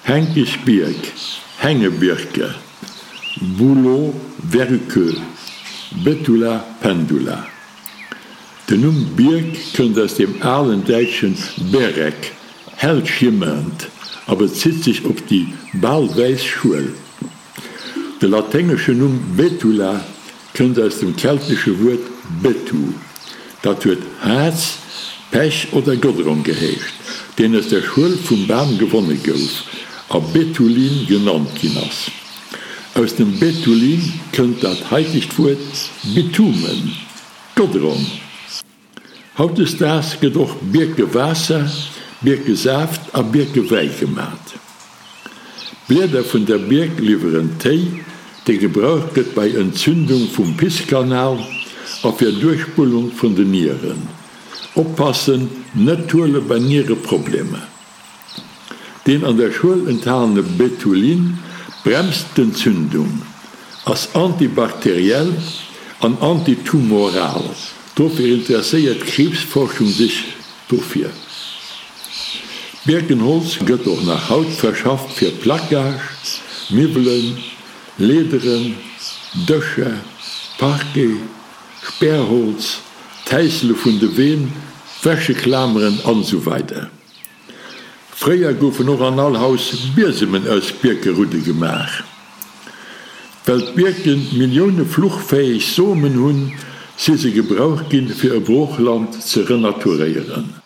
Henkischbierg, Hängebirke, Bouleau verruqueux, Betula pendula. Den Numm Bierk kënnt aus dem alen däitschen berek, hell schimmernd, a bezitt sech op déi bal wäiss Schuel. De laténgeschen Numm Betula kënnt aus dem keltesche Wuert betu, dat huet Haarz, Pech oder Godrong geheescht, deen aus der Schuel vum Bam gewonne gouf a Betulin genannt ginn ass. Aus dem Betulin kënnt dat haitegt Wuert Bitumen, Godrong. Hautdesdaags gëtt och Bierkewaasser, Bierkesaaft a Bierkewäi gemat. D'Blieder vun der Bierk liwweren Téi, dee gebraucht gëtt bei Entzündung vum Pisskanal a fir Duerchspullung vun den Nieren. Oppassen, net huele bei Niereproblemer. Deen an der Schuel enthalene Betulin bremst d'Entzündung, ass antibakteriell an antitumoral, dofir interesséiert d'Kriibsforschung sech dofir. Birkenholz gëtt och nach haut verschafft fir Placage, Miwwelen, Leederen, Dëscher, Parquet, Sperrholz, d'Häisele vun de Ween, Wäscheklameren an esou weider. Fréier goufen och an all Haus Biesemen aus Bierkerudde gemaach. Well d'Bierken Millioune fluchfäeg Somen hunn, si se gebraucht ginn, fir e Broochland ze renaturéieren.